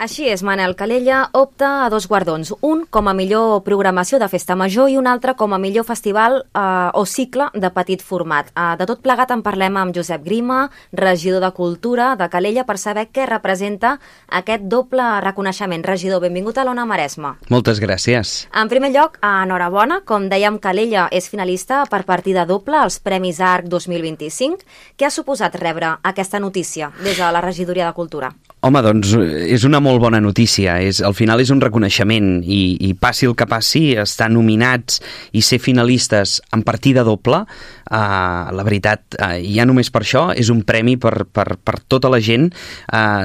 Així és, Manel. Calella opta a 2 guardons, un com a millor programació de festa major i un altre com a millor festival o cicle de petit format. De tot plegat en parlem amb Josep Grima, regidor de Cultura de Calella, per saber què representa aquest doble reconeixement. Regidor, benvingut a l'Ona Maresme. Moltes gràcies. En primer lloc, enhorabona. Com dèiem, Calella és finalista per partida doble als Premis ARC 2025. Què ha suposat rebre aquesta notícia des de la regidoria de Cultura? Home, doncs és una molt bona notícia. Al final és un reconeixement i passi el que passi, estar nominats i ser finalistes en partida doble, la veritat, ja només per això és un premi per tota la gent,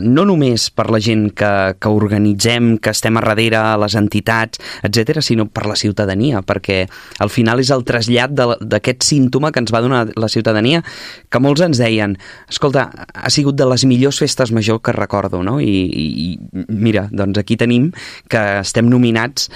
no només per la gent que organitzem, que estem a darrere, les entitats, etc., sinó per la ciutadania, perquè al final és el trasllat d'aquest símptoma que ens va donar la ciutadania, que molts ens deien, escolta, ha sigut de les millors festes major que recordo, no? I mira, doncs aquí tenim que estem nominats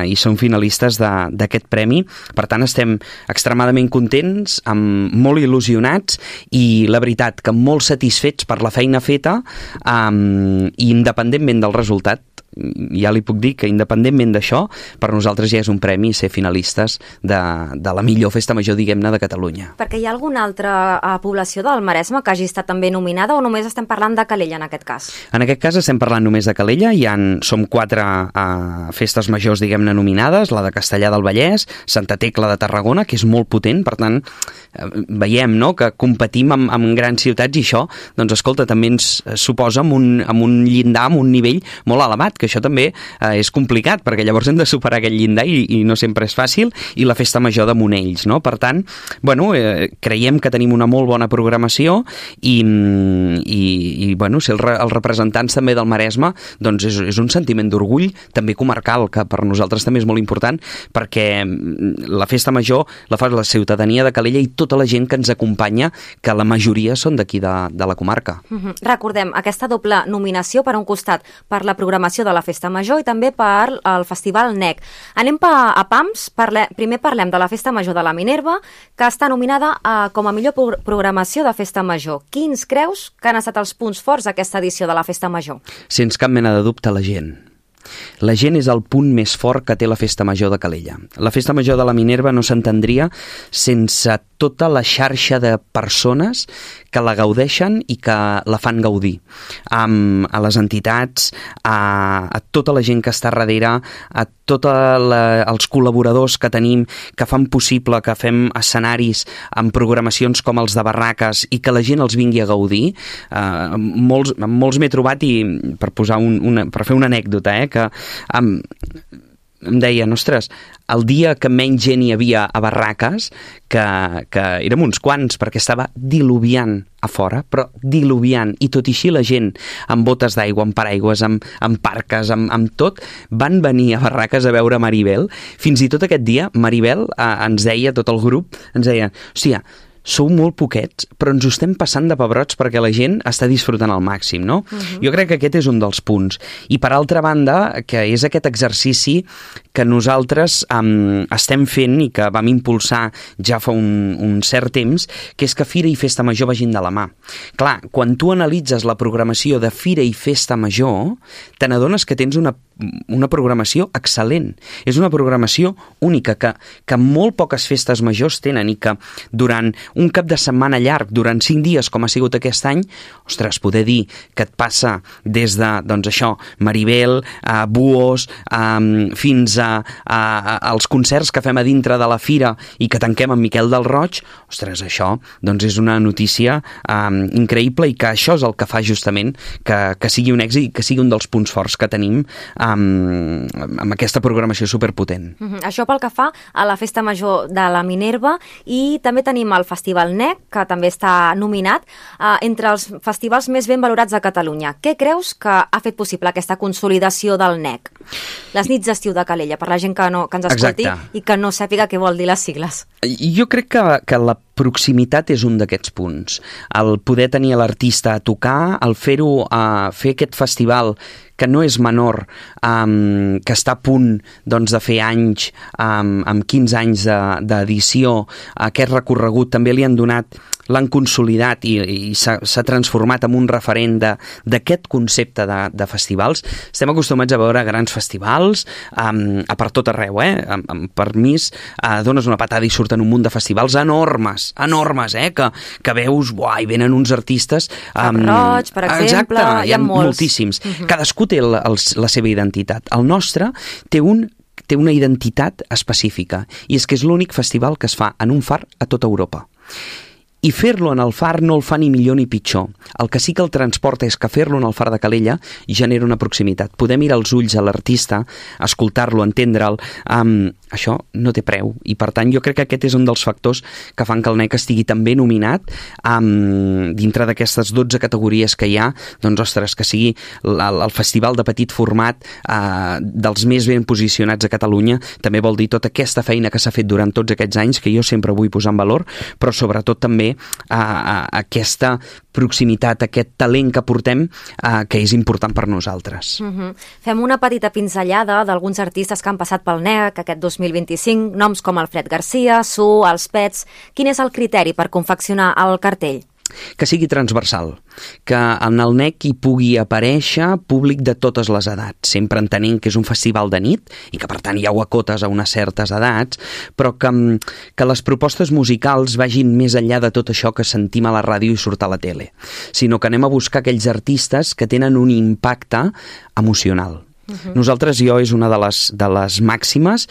i som finalistes d'aquest premi. Per tant, estem extremadament contents, molt il·lusionats i la veritat que molt satisfets per la feina feta i independentment del resultat. Ja li puc dir que independentment d'això, per nosaltres ja és un premi ser finalistes de la millor festa major, diguem-ne, de Catalunya. Perquè hi ha alguna altra població del Maresme que hagi estat també nominada o només estem parlant de Calella en aquest cas? En aquest cas estem parlant només de Calella, som 4 festes majors, diguem-ne, nominades, la de Castellar del Vallès, Santa Tecla de Tarragona, que és molt potent, per tant, veiem, no?, que competim amb grans ciutats i això, doncs escolta, també ens suposa amb un llindar, amb un nivell molt elevat, que això també és complicat, perquè llavors hem de superar aquest llindar i no sempre és fàcil, i la festa major de Monells, no? Per tant, bueno, creiem que tenim una molt bona programació i bueno, ser els representants també del Maresme, doncs és un sentiment d'orgull, també comarcal, que per nosaltres també és molt important, perquè la festa major la fa la ciutadania de Calella i tota la gent que ens acompanya, que la majoria són d'aquí de la comarca. Recordem, aquesta doble nominació, per un costat, per la programació de la Festa Major i també per el Festival NEC. Anem a pams. Primer parlem de la Festa Major de la Minerva, que està nominada com a millor programació de Festa Major. Quins creus que han estat els punts forts d'aquesta edició de la Festa Major? Sense cap mena de dubte, la gent. La gent és el punt més fort que té la Festa Major de Calella. La Festa Major de la Minerva no s'entendria sense tota la xarxa de persones que la gaudeixen i que la fan gaudir. A les entitats, a tota la gent que està darrere, a tots els col·laboradors que tenim, que fan possible que fem escenaris amb programacions com els de barraques i que la gent els vingui a gaudir. Molts m'he trobat, i per fer una anècdota, que em deien, ostres, el dia que menys gent hi havia a barraques, que érem uns quants, perquè estava diluviant a fora, però diluviant, i tot i així la gent amb botes d'aigua, amb paraigües, amb parques, amb tot, van venir a barraques a veure Maribel. Fins i tot aquest dia, Maribel ens deia, tot el grup, ens deia, hòstia, sou molt poquets, però ens ho estem passant de pebrots perquè la gent està disfrutant al màxim, no? Jo crec que aquest és un dels punts. I per altra banda, que és aquest exercici que nosaltres estem fent i que vam impulsar ja fa un cert temps, que és que Fira i Festa Major vagin de la mà. Clar, quan tu analitzes la programació de Fira i Festa Major, te n'adones que tens una programació excel·lent. És una programació única que molt poques festes majors tenen i que durant un cap de setmana llarg, durant 5 dies, com ha sigut aquest any, ostres, poder dir que et passa des de, doncs això, Maribel, Buos, fins als concerts que fem a dintre de la Fira i que tanquem amb Miquel del Roig, ostres, això doncs és una notícia increïble, i que això és el que fa justament que sigui un èxit i que sigui un dels punts forts que tenim amb aquesta programació superpotent. Això pel que fa a la Festa Major de la Minerva, i també tenim el Festival NEC, que també està nominat entre els festivals més ben valorats de Catalunya. Què creus que ha fet possible aquesta consolidació del NEC? Les nits d'estiu de Calella, per la gent que ens escolti. Exacte. I que no sàpiga què vol dir les sigles. Jo crec que la proximitat és un d'aquests punts. El poder tenir l'artista a tocar, el fer aquest festival que no és menor, que està a punt doncs, de fer anys, amb 15 anys d'edició, aquest recorregut també li han donat l'han consolidat i s'ha transformat en un referent d'aquest concepte de festivals. Estem acostumats a veure grans festivals a per tot arreu, amb permís, dones una patada i surten un munt de festivals enormes, que veus, i venen uns artistes... Cap Roig, per exemple, exacte, hi ha moltíssims. Cadascú té la seva identitat. El nostre té una identitat específica, i és que és l'únic festival que es fa en un far a tota Europa. I fer-lo en el far no el fa ni millor ni pitjor. El que sí que el transporta és que fer-lo en el far de Calella genera una proximitat. Poder mirar els ulls a l'artista, escoltar-lo, entendre'l, això no té preu. I per tant jo crec que aquest és un dels factors que fan que el NEC estigui també nominat dintre d'aquestes 12 categories que hi ha, doncs ostres, que sigui el festival de petit format dels més ben posicionats a Catalunya. També vol dir tota aquesta feina que s'ha fet durant tots aquests anys, que jo sempre vull posar en valor, però sobretot també aquesta proximitat, aquest talent que portem, que és important per nosaltres. Fem una petita pinzellada d'alguns artistes que han passat pel NEC aquest 2025, noms com Alfred Garcia, Su, Els Pets. Quin és el criteri per confeccionar el cartell? Que sigui transversal, que en el NEC hi pugui aparèixer públic de totes les edats, sempre entenent que és un festival de nit i que per tant hi ha acotes a unes certes edats, però que les propostes musicals vagin més enllà de tot això que sentim a la ràdio i surt a la tele, sinó que anem a buscar aquells artistes que tenen un impacte emocional. Nosaltres, és una de les màximes.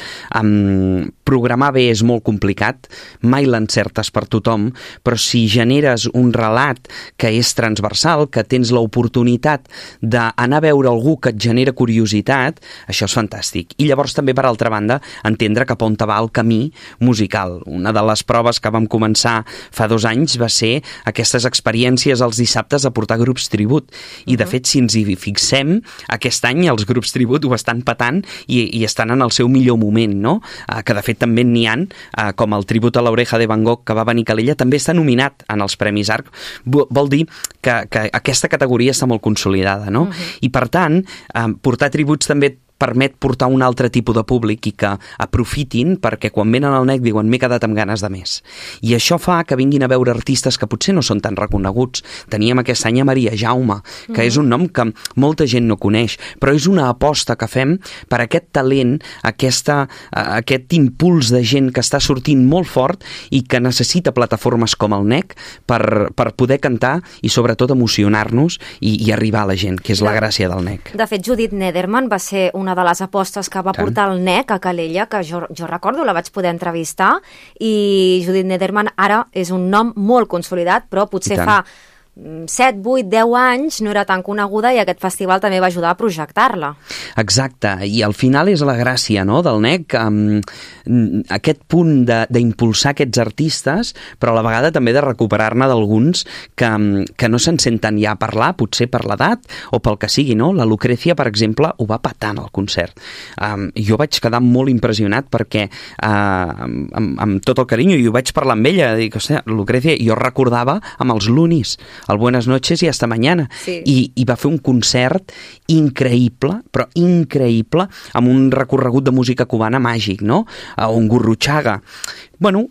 Programar bé és molt complicat, mai l'encertes per tothom, però si generes un relat que és transversal, que tens l'oportunitat d'anar a veure algú que et genera curiositat, això és fantàstic. I llavors també, per altra banda, entendre cap on va el camí musical. Una de les proves que vam començar fa 2 anys va ser aquestes experiències els dissabtes a portar grups tribut. I de fet, si ens hi fixem, aquest any els grups tribut ho estan patant i estan en el seu millor moment, no? Que de fet també n'hi ha, com el tribut a l'Oreja de Van Gogh que va venir a Calella, també està nominat en els Premis ARC. Vol dir que aquesta categoria està molt consolidada, no? I per tant, portar tributs també permet portar un altre tipus de públic i que aprofitin, perquè quan venen al NEC diuen m'he quedat amb ganes de més. I això fa que vinguin a veure artistes que potser no són tan reconeguts. Teníem aquest any a Maria Jaume, que és un nom que molta gent no coneix, però és una aposta que fem per aquest talent, aquest impuls de gent que està sortint molt fort i que necessita plataformes com el NEC per poder cantar i sobretot emocionar-nos i arribar a la gent, que és la gràcia del NEC. De fet, Judith Nederman va ser una de les apostes que va portar el NEC a Calella, que jo recordo, la vaig poder entrevistar, i Judith Nederman ara és un nom molt consolidat, però potser fa 7, 8, 10 anys no era tan coneguda i aquest festival també va ajudar a projectar-la. Exacte, i al final és la gràcia, no?, del NEC, aquest punt d'impulsar aquests artistes, però a la vegada també de recuperar-ne d'alguns que no se'n senten ja a parlar, potser per l'edat o pel que sigui, no? La Lucrecia, per exemple, ho va patant al concert. Jo vaig quedar molt impressionat perquè amb tot el carinyo, i ho vaig parlar amb ella, dic, hòstia, Lucrecia, jo recordava amb els Lunis, el Buenas noches i hasta mañana. Sí. I va fer un concert increïble, però increïble, amb un recorregut de música cubana màgic, no? Un Gurruchaga. Bueno,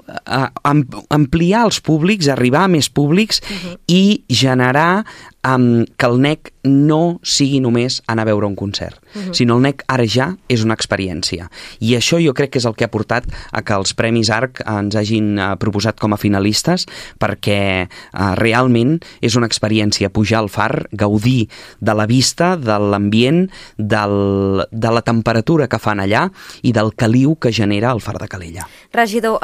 ampliar els públics, arribar a més públics i generar que el NEC no sigui només anar a veure un concert, sinó el NEC ara ja és una experiència. I això jo crec que és el que ha portat a que els Premis ARC ens hagin proposat com a finalistes, perquè realment és una experiència pujar al far, gaudir de la vista, de l'ambient, de la temperatura que fan allà i del caliu que genera el far de Calella. Regidor,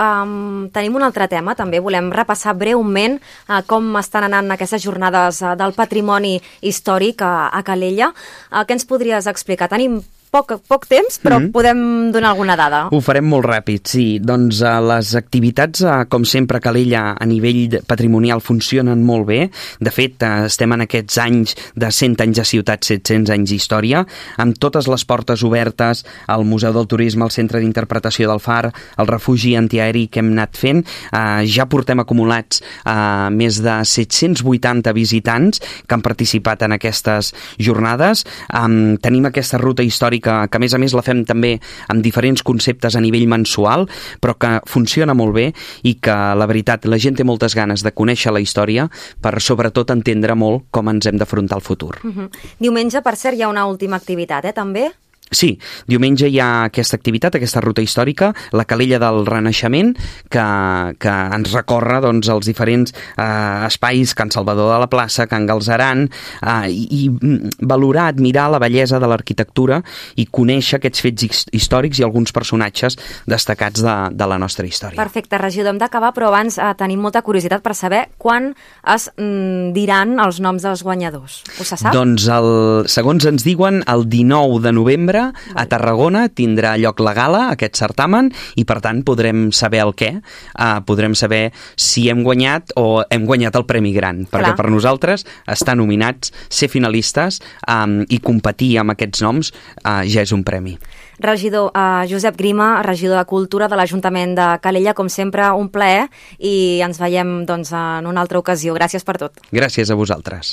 tenim un altre tema, també volem repassar breument com estan anant aquestes jornades del patrimoni històric a Calella. Què ens podries explicar? Tenim poc temps, però podem donar alguna dada. Ho farem molt ràpid, sí. Doncs les activitats, com sempre, a Calella a nivell patrimonial funcionen molt bé. De fet, estem en aquests anys de 100 anys de ciutat, 700 anys d'història, amb totes les portes obertes, al Museu del Turisme, al Centre d'Interpretació del Far, el refugi antiaeri que hem anat fent. Ja portem acumulats més de 780 visitants que han participat en aquestes jornades. Tenim aquesta ruta històrica històrica, que a més la fem també amb diferents conceptes a nivell mensual, però que funciona molt bé i que, la veritat, la gent té moltes ganes de conèixer la història per, sobretot, entendre molt com ens hem d'afrontar al futur. Diumenge, per cert, hi ha una última activitat, també? Sí, diumenge hi ha aquesta activitat, aquesta ruta històrica, la Calella del Renaixement, que ens recorre doncs, els diferents espais, Can Salvador de la Plaça, Can Galzeran, i valorar, admirar la bellesa de l'arquitectura i conèixer aquests fets històrics i alguns personatges destacats de la nostra història. Perfecte, regidor, hem d'acabar, però abans tenim molta curiositat per saber quan es diran els noms dels guanyadors. Ho se sap? Doncs, segons ens diuen, el 19 de novembre a Tarragona tindrà lloc la gala, aquest certamen, i per tant podrem saber el què. Podrem saber si hem guanyat o hem guanyat el Premi Gran, perquè per nosaltres estar nominats, ser finalistes i competir amb aquests noms ja és un premi. Regidor Josep Grima, regidor de Cultura de l'Ajuntament de Calella, com sempre, un plaer, i ens veiem doncs, en una altra ocasió. Gràcies per tot. Gràcies a vosaltres.